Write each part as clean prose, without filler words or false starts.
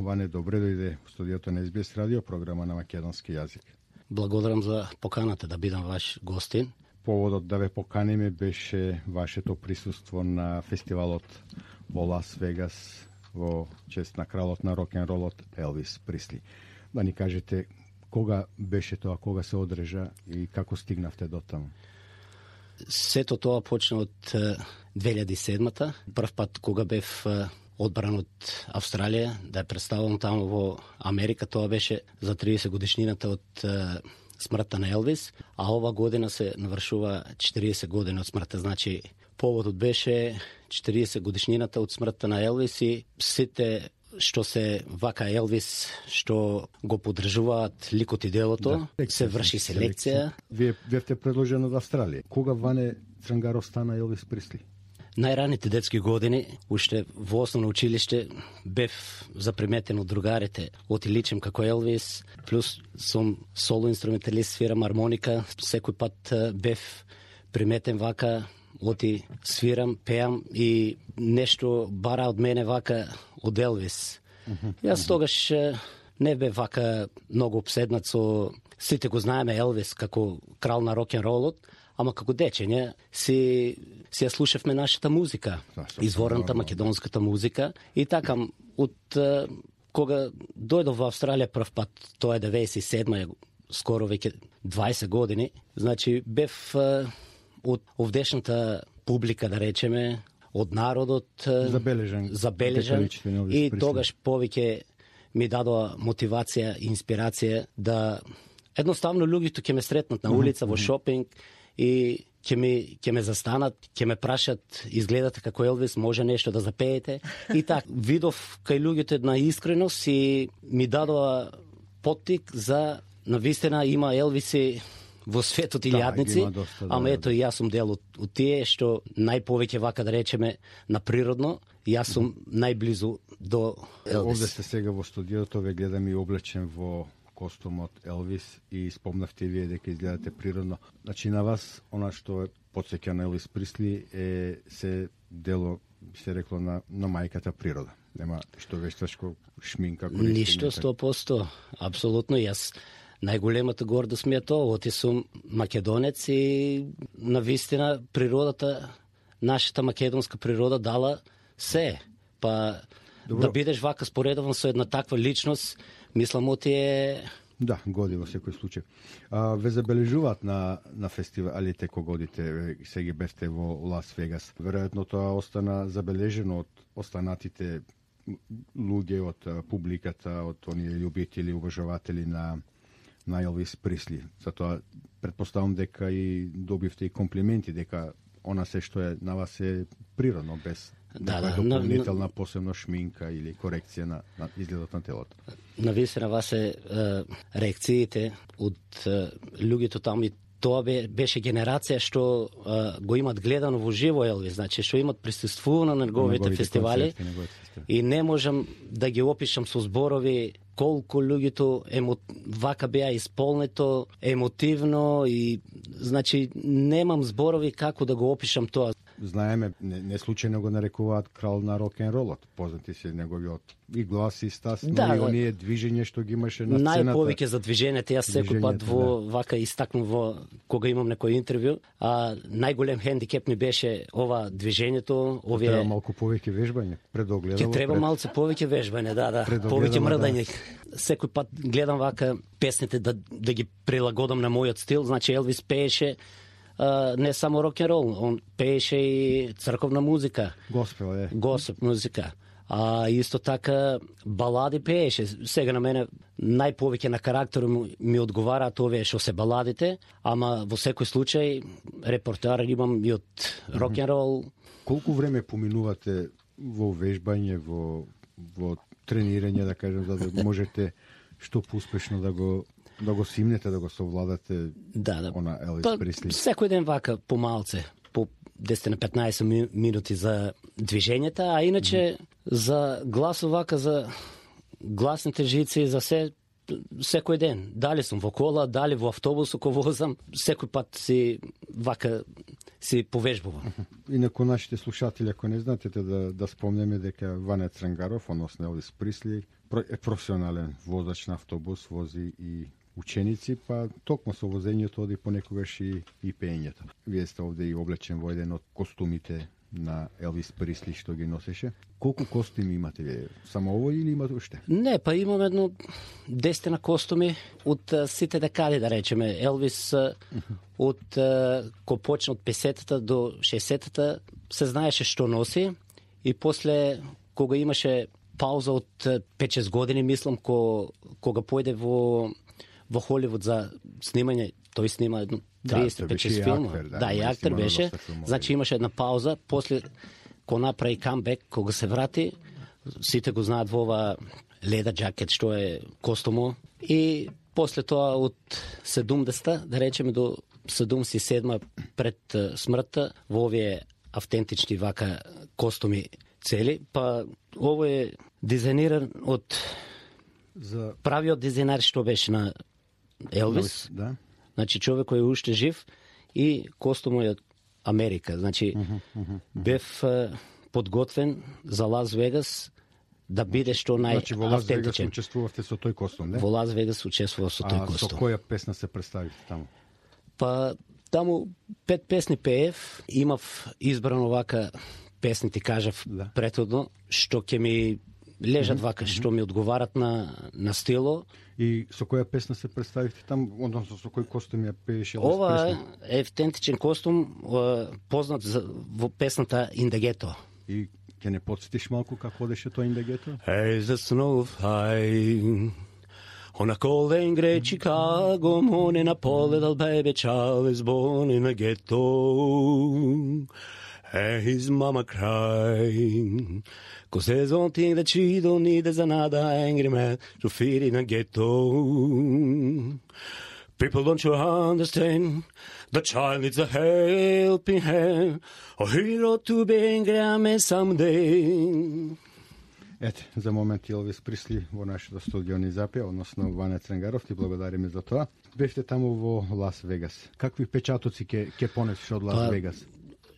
Ване, добре дојде во студиото на SBS радио, програма на македонски јазик. Благодарам за поканата да бидам ваш гостин. Поводот да ве поканиме беше вашето присуство на фестивалот во Лас Вегас во чест на кралот на рок-н-ролот Елвис Пресли. Да ни кажете кога беше тоа, кога се одржа и како стигнавте до таму? Сето тоа почна од 2007-та, прв пат кога бев одбран од Австралија, да ја представам таму во Америка, тоа беше за 30 годишнината од смртта на Елвис, а ова година се навршува 40 години од смртта, значи поводот беше 40 годишнината од смртта на Елвис и сите што се вака Елвис, што го поддржуваат ликот и делото, се врши селекција. Вие бевте предложен од Австралија. Кога Ване Црангаров стана Елвис Пресли? Најраните детски години, уште во основно училиште, бев заприметен од другарите. Оти личим како Елвис, плюс сум соло инструменталист, свирам армоника. Секој пат бев приметен вака, оти свирам, пеам и нешто бара од мене вака од Елвис. Јас тогаш не бев вака многу обседнат со... Сите го знаеме Елвис како крал на рок-н-ролот, ама како дечење си ја слушавме нашата музика, изворната македонската музика. И така, од кога дојдов во Австралија прв пат, тоа е 97-ма, скоро веќе 20 години, значи бев од овдешната публика, да речеме, од народот забележан и тогаш повеќе ми дадоа мотивација и инспирација да едноставно луѓето ќе ме сретнат на улица, во шопинг и ќе ме застанат, ќе ме прашат, изгледате како Елвис, може нешто да запеете. И така, видов кај луѓето една искреност и ми дадоа поттик за навистина има Елвиси во светот илјадници, ама ето и јас сум дел од тие што најповеќе вака да речеме на природно, јас сум најблизу до Елвис. Овде сте сега во студиото, ве гледам и облечен во костумот Елвис и спомнавте вие дека изгледате природно. Значи на вас, она што потсеќа на Елвис Пресли е се дело, би се рекло, на мајката природа. Нема што вештачко шминка. Ништо, 100%. Апсолутно, јас најголемата гордост ми е тоа, оти сум македонец и навистина природата, нашата македонска природа дала се. Па добро, да бидеш вака споредован со една таква личност, мислам оти е... Да, годи во секој случај. Ве забележуваат на фестивалите кога одите, сега бевте во Лас Вегас. Веројатно тоа остана забележено од останатите луѓе, од публиката, од оние љубители, уважаватели на Елвис Пресли. Затоа претпоставам дека и добивте и комплименти дека она се што е на вас е природно, без дополнителна посебно шминка или корекција на изгледот на телото. Навистина вас е реакциите од луѓето таму и тоа беше генерација што го имат гледано во живо Елвис, значи што имат присуствувано на неговите фестивали и не можам да ги опишам со зборови колку луѓето вака беа исполнето, емотивно и значи немам зборови како да го опишам тоа. Знаеме, не случајно го нарекуваат крал на рок-н-ролот. Познати се неговиот и глас и стас, но и оние движење што ги имаше на сцената. Најповеќе за движењето, јас секој пат вака истакнувам кога имам некој интервју, најголем хендикеп ми беше ова движењето, овие... Треба малку повеќе вежбање, предогледало. Ќе треба малку повеќе вежбање, да, повеќе мрдање. Секој пат гледам вака песните да ги прилагодам на мојот стил, значи Елвис пееше не само рок-н-рол, он пееше и црковна музика. Госпел музика. А исто така балади пееше. Сега на мене најповеќе на карактерот ми одговараат овие што се баладите, ама во секој случај репертоар имам и од рок-н-рол. Колку време поминувате во вежбање, во тренирање, да кажем, за да можете што поуспешно да го симнете, да го совладате она Елвис Пресли? Секој ден вака помалце, по 10 на 15 минути за движењата, а иначе за глас вака, за гласните жици, за секој ден. Дали сум во кола, дали во автобус ако возам, секој пат си повежбувам. Инаку нашите слушатели, ако не знаете, да спомнеме дека Ване Црангаров, односно Елвис Пресли, професионален возач на автобус, вози и ученици, па токму со возењето оди понекогаш и пеењето. Вие сте овде и облечен во еден од костумите на Елвис Пресли што ги носеше. Колку костуми имате вие? Само ово или имате уште? Не, па имам едно 10 на костуми од сите декади, да речеме. Елвис од ко почна од 50-та до 60-та се знаеше што носи и после кога имаше пауза од 5-6 години, мислам, кога појде во Холивуд за снимање, тој снима 35 филма. Да, и актер беше. Значи имаше една пауза, после кога направи камбек, кога се врати, сите го знаат во ова леда джакет што е костумо, и после тоа од 70-та, да речеме до 77-та пред смртта, во овие автентични вака костуми цели, па ово е дизајниран од правиот дизајнер што беше на Елвис, да. Значи човек кој е уште жив, и костумот е од Америка. Значи бев подготвен за Лас Вегас да биде што најавтентичен. Значи во Лас Вегас учествувавте со тој костум, не? Во Лас Вегас учествував со тој костум. А со која песна се представите таму? Па таму 5 песни пеев, имав избрано вака песни, ти кажав претhodно, што ќе ми лежат вака, што ми одговарат на стило. И со која песна се представихте там, односно со кој костум ја пееше? Ова е автентичен костум, познат во песната In the Ghetto. И ќе не подсетиш малку како одеше тоа In the Ghetto? Hey, the snow high on a cold and gray Chicago morning, a poor little baby child is born in a ghetto. And his mama crying, 'cause there's one thing that she don't need is another angry man to feed in a ghetto. People don't you understand? The child needs a helping hand, a hero to be angry man someday. Ете, за момент Елвис Пресли во нашето студио ни запеа, односно Ване Цренгаров, ти благодариме за тоа. Бевте таму во Лас Вегас. Какви печатоци ќе понесеш од Лас Вегас?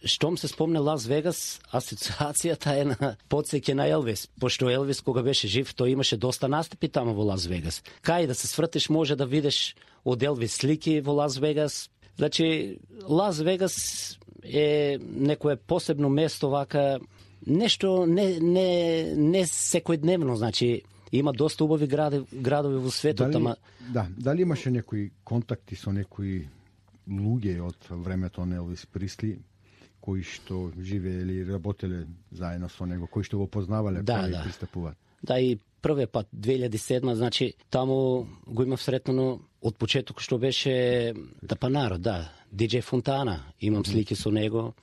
Штом се спомне Лас Вегас, асоциацијата е на подсеќа на Елвис, пошто Елвис кога беше жив, тој имаше доста настапи таму во Лас Вегас. Кај да се свртиш може да видиш од Елвис слики во Лас Вегас. Значи, Лас Вегас е некое посебно место вака, нешто не секојдневно, значи има доста убави градови во светот, ама дали имаше некои контакти со некои луѓе од времето на Елвис Пресли кои што живеели, работеле заедно со него, кои што го познавале, први пристапуваат? Да, и првиот пат 2007, значи таму го имав сретнано од почеток што беше Тапанаро, DJ Фонтана, имам слики со него,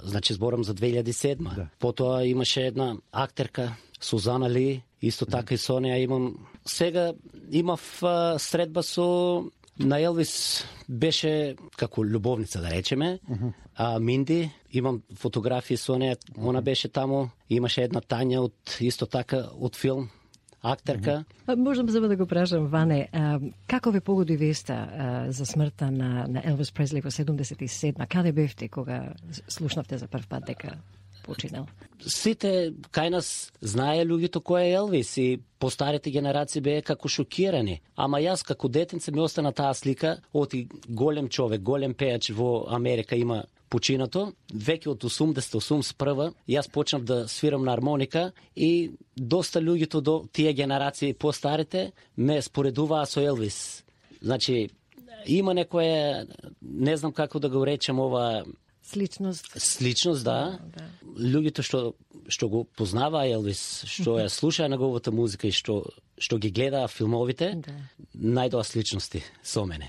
значи зборам за 2007. Потоа имаше една актерка, Сузана Ли, исто така и со неа имам. Сега имав средба со на Елвис, беше како љубовница, да речеме, Минди, имам фотографии со неа, она беше таму, имаше една Тања исто така од филм, актерка. Можам само да го прашам, Ване, како ве погоди веста за смртта на Елвис Пресли во 77? Каде бевте кога слушнавте за прв пат дека починал? Сите кај нас знае луѓето кој е Елвис и постарите генерации беа како шокирани. Ама јас како детенце ми остана таа слика, оти голем човек, голем пејач во Америка има починато. Веќе од 80-81 јас почнав да свирам на армоника и доста луѓето до тие генерации постарите ме споредуваа со Елвис. Значи, има некоја, не знам како да го речем ова, Сличност, да. Луѓето што го познаваа Елвис, што ја слушаа неговата музика и што ги гледаа филмовите, најдоа сличности со мене.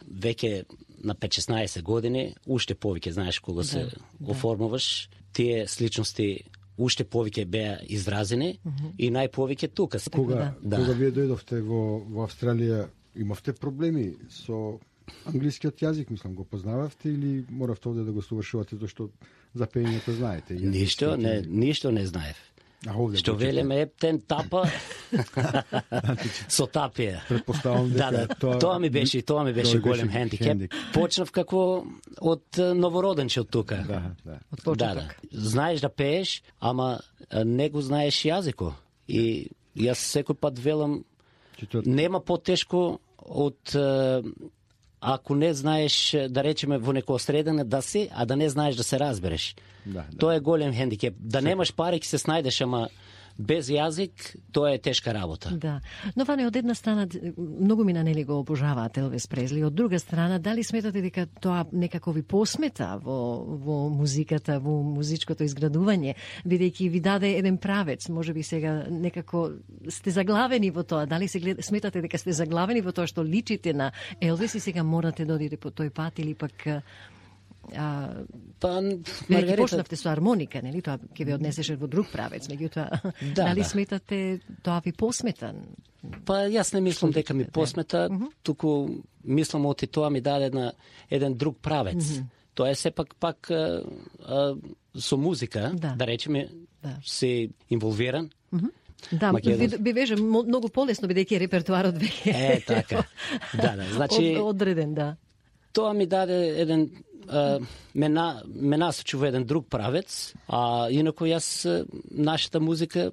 Веќе на 5-16 години, уште повеќе, знаеш, кога се оформуваш, тие сличности уште повеќе беа изразени и најповеќе тука. Кога вие дојдовте во Австралија, имавте проблеми со англискиот јазик, мислам, го познававте или моравте овде да го совршувате зашто за пеењето знаете? Ништо не знаев. Што велеме ептен тапа со тапија. Предпоставам дека тоа ми беше голем хендикеп. Почнав како од новороденче од тука. Од почеток. Знаеш да пееш, ама не го знаеш јазико. И јас секој пат велам, нема потешко од ако не знаеш, да речеме, во некоја средина да си, а да не знаеш да се разбереш. Тоа е голем хендикеп. Да немаш пари, ќе се снајдеш, ама без јазик, тоа е тешка работа. Да. Но Ване, од една страна, многу ми нели го обожаваат Елвис Пресли, од друга страна, дали сметате дека тоа некако ви посмета во музиката, во музичкото изградување, бидејќи ви даде еден правец, може би сега некако сте заглавени во тоа, дали сметате дека сте заглавени во тоа што личите на Елвис и сега морате да одите по тој пат или пак Маргарита, почнавте со армоника, нели? Тоа ќе ви однесеше во друг правец, меѓутоа дали сметате тоа ви посмета? Јас не мислам дека ми посмета, туку мислам оти тоа ми даде еден друг правец. Тоа е сепак пак со музика, да речеме, се инволвиран. Да, би беше многу полесно бидејќи репертуарот веќе така. Значи одреден, да. Тоа ми даде еден ме насочи во еден друг правец, а инако јас нашата музика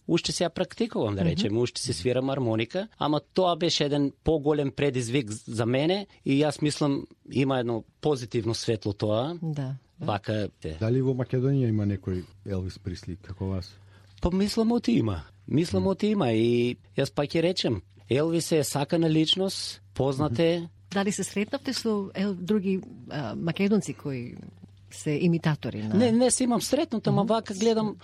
уште се ја практикувам, да речем, уште се свирам армоника, ама тоа беше еден поголем предизвик за мене и јас мислам има едно позитивно светло тоа. Да. Вака. Дали во Македонија има некој Елвис Пресли како вас? Мислам оти има. И јас пак ќе речем, Елвис е сакана личност, познат е. Дали се сретнавте со други македонци кои се имитатори на... Не се имам сретнато, ама вака гледам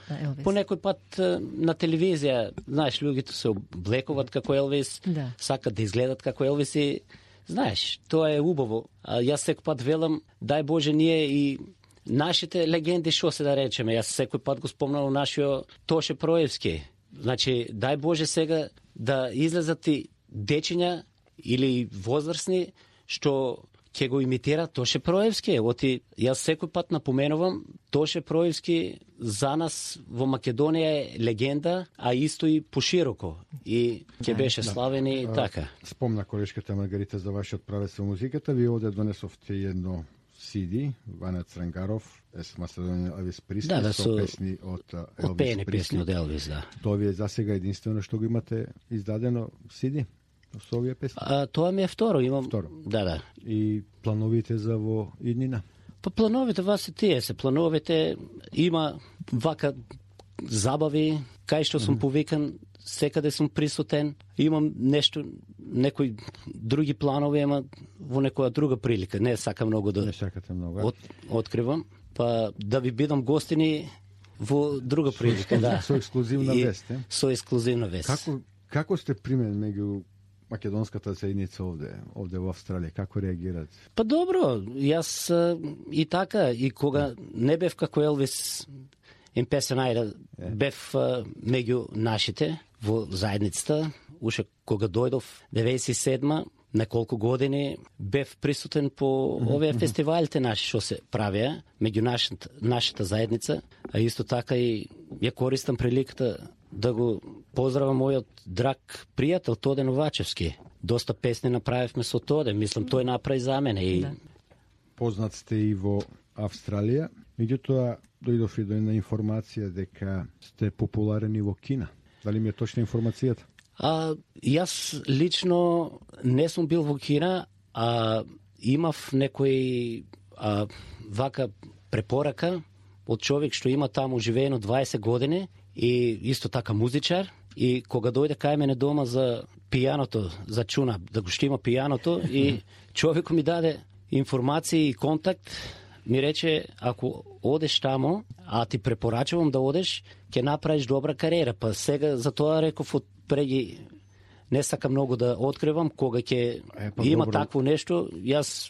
по некој пат на телевизија, знаеш, луѓето се облекуваат како Елвис, сакат да изгледат како Елвис и знаеш, тоа е убаво. Јас секој пат велам, дај Боже ние и нашите легенди, што се да речеме, јас секој пат го спомнам нашиот Тоше Проевски. Значи, дај Боже сега да излезат и дечиња или возрастни што ќе го имитира Тоше Проевски. Оти јас секој пат напоменувам, Тоше Проевски за нас во Македонија е легенда, а исто и пошироко. И ќе беше славен и така. Спомна колешката Маргарита за вашиот правец во музиката. Ви овде донесовте едно CD, Ване Црангаров, Macedonian Elvis Presley, со песни од Елвис Пресли. Тоа ви е засега единствено што го имате издадено CD? Со овие песни? Тоа ми е второ, имам. Второ. Да. И плановите за во иднина? Плановите се тие се. Плановите има вака забави, кај што сум повикан, секаде сум присутен. Имам некои други планови, ама во некоја друга прилика. Не сакам многу да... Не сакате многу. Откривам. Да ви бидам гостини во друга прилика, да. Со ексклузивна вест, е? Со ексклузивна вест. Како сте примен меѓу македонската заедница овде во Австралија? Како реагираат? Добро, јас и така, и кога не бев како Елвис импесионајда, бев меѓу нашите во заедницата, уште кога дојдов 97-ма, неколку години бев присутен по овие фестивалите наши што се правеа меѓу нашата заедница, а исто така и ја користам приликата да го поздравам мојот драг пријател Тоде Новачевски. Доста песни направивме со Тоде, мислам тој направи за мене и познат сте и во Австралија, меѓутоа дојдов и до една информација дека сте популарни во Кина. Дали ми е точна информацијата? Јас лично не сум бил во Кина, имав некој вака препорака од човек што има таму живеено 20 години и исто така музичар, и кога дојде кај мене дома за пијаното, за чуна, да го штима пијаното, и човекот ми даде информации и контакт, ми рече, ако одеш таму, а ти препорачувам да одеш, ќе направиш добра кариера. Па сега за тоа реков преги не сакам многу да откривам, кога ќе има такво нешто, јас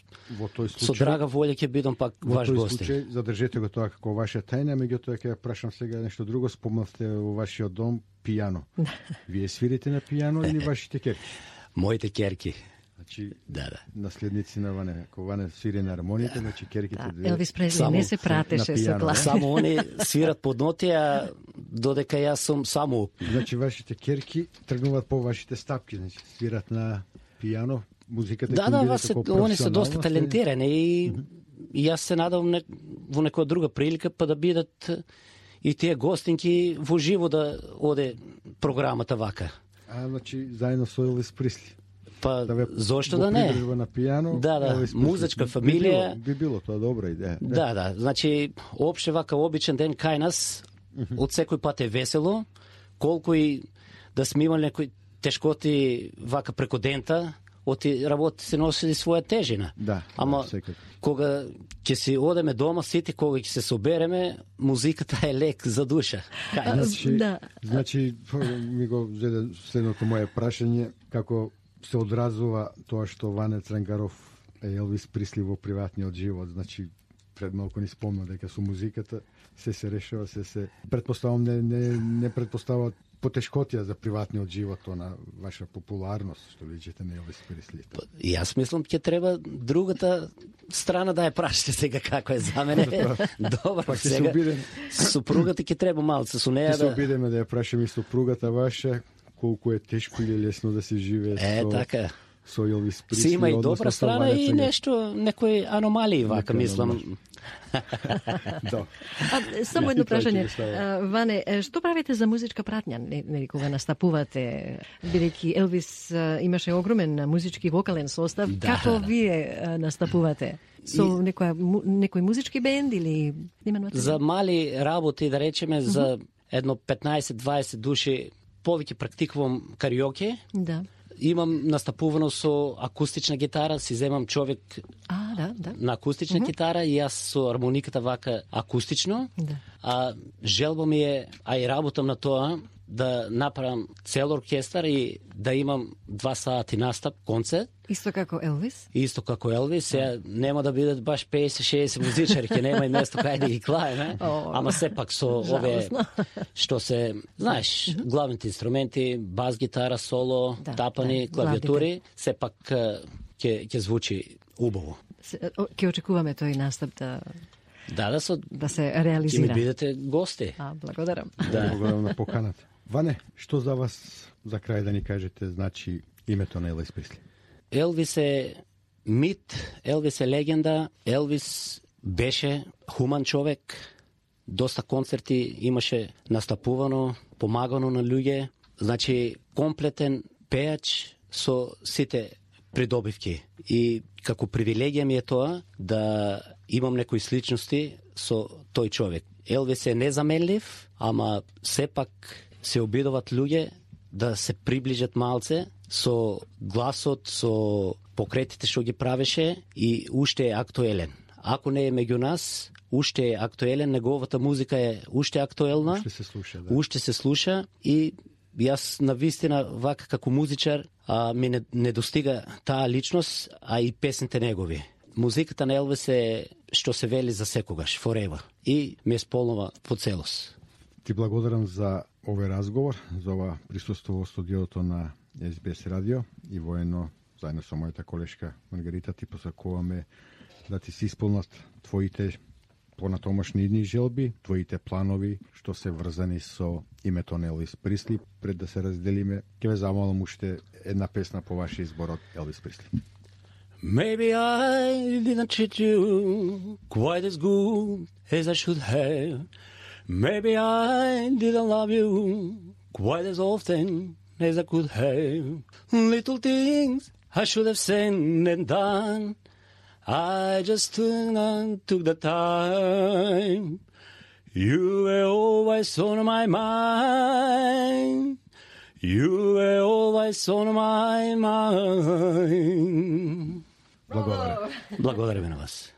со драга волја ќе бидам пак ваш гост. Во тој случај задржете го тоа како ваша тајна, меѓутоа ќе прашам сега нешто друго. Спомнавте во вашиот дом пијано. Вие свирите на пијано или вашите керки? Моите керки. Значи, наследници на Ване. Ако Ване свири на армоника, значи керките две. Елвис Пресли не се пратеше со тоа. Само они свират под ноти, а додека јас сум само. Значи, вашите керки тргнуваат по вашите стапки, значи свират на пијано, музиката они се доста талентирани и јас се надевам во некоја друга прилика па да бидат и тие гостинки во живо да оде програмата вака. Значи заедно со Елвис Пресли. Па зошто да не? На пијано. Да, музичка фамилија. Би било тоа добра идеја. Да, значи опште вака обичен ден кај нас, од секој пат е весело, колку и да сме имали некои тешкоти вака преку дента, оти работи се носи своја тежина. Да, ама кога ќе си одеме дома сите, кога ќе се собереме, музиката е лек за душа. Значи ми го зеде следното моje прашање, како се одразува тоа што Ване Црангаров е Елвис Пресли во приватниот живот. Значи пред малку ни спомна дека со музиката се решава, се претпоставам не претпоставува потешкотија за приватниот живот, на ваша популарност, што личите на Елвис Пресли. Јас мислам ќе треба другата страна да ја прашате сега како е за мене. Добро, сега супругата ќе треба малце со неја да... Ќе се обидеме да ја прашаме и супругата ваша, колку е тешко или лесно да се живее така. Со Елвис Пресли. Си има и добра страна и нешто, некои аномалии вака, мислам. Само едно прашање. Ване, што правите за музичка пратња, нели кога настапувате? Бидејќи Елвис имаше огромен музички вокален состав, како вие настапувате? Со некој музички бенд или за мали работи, да речеме, за едно 15-20 души, повеќе практикувам кариоке. Да. Имам настапувано со акустична гитара, си земам човек на акустична гитара и јас со армониката вака акустично. Да. Желба ми е, и работам на тоа, да направам цел оркестар и да имам 2 сати настап, концерт. Исто како Елвис? Исто како Елвис. Сега нема да бидат баш 50-60 музичари, ќе нема и место кај да ги клаеме, ама сепак со ове што се, знаеш, главните инструменти, бас гитара, соло, тапани, клавиатури, сепак ќе звучи убаво. Ќе очекуваме тој настап да се реализира. Ќе ми бидете гости. Благодарам. Благодарам на поканата. Ване, што за вас за крај да ни кажете значи името на Елвис Пресли? Елвис е мит, Елвис е легенда, Елвис беше хуман човек, доста концерти имаше настапувано, помагано на луѓе, значи комплетен пејач со сите придобивки. И како привилегија ми е тоа да имам некои сличности со тој човек. Елвис е незаменлив, ама сепак се обидуваат луѓе да се приближат малце со гласот, со покретите што ги правеше и уште е актуелен. Ако не е меѓу нас, уште е актуелен, неговата музика е уште актуелна. Уште се слуша, да. Уште се слуша и јас навистина вака како музичар ми не достига таа личност, и песните негови. Музиката на Елвис е што се вели за секогаш, forever. И ме сполнува по целост. Ти благодарам за овој разговор, за ова присуство во студиото на СБС радио и воено, заедно со мојата колешка Маргарита, ти посакуваме да ти се исполнат твоите понатомашни идни желби, твоите планови што се врзани со името на Елвис Пресли. Пред да се разделиме, ќе ве замолам уште една песна по ваш избор од Елвис Пресли. Maybe I didn't treat you quite as good as I should have. Maybe I didn't love you quite as often as I could have. Little things I should have said and done, I just took the time. You were always on my mind. You were always on my mind. Благодарам. Благодарам на вас.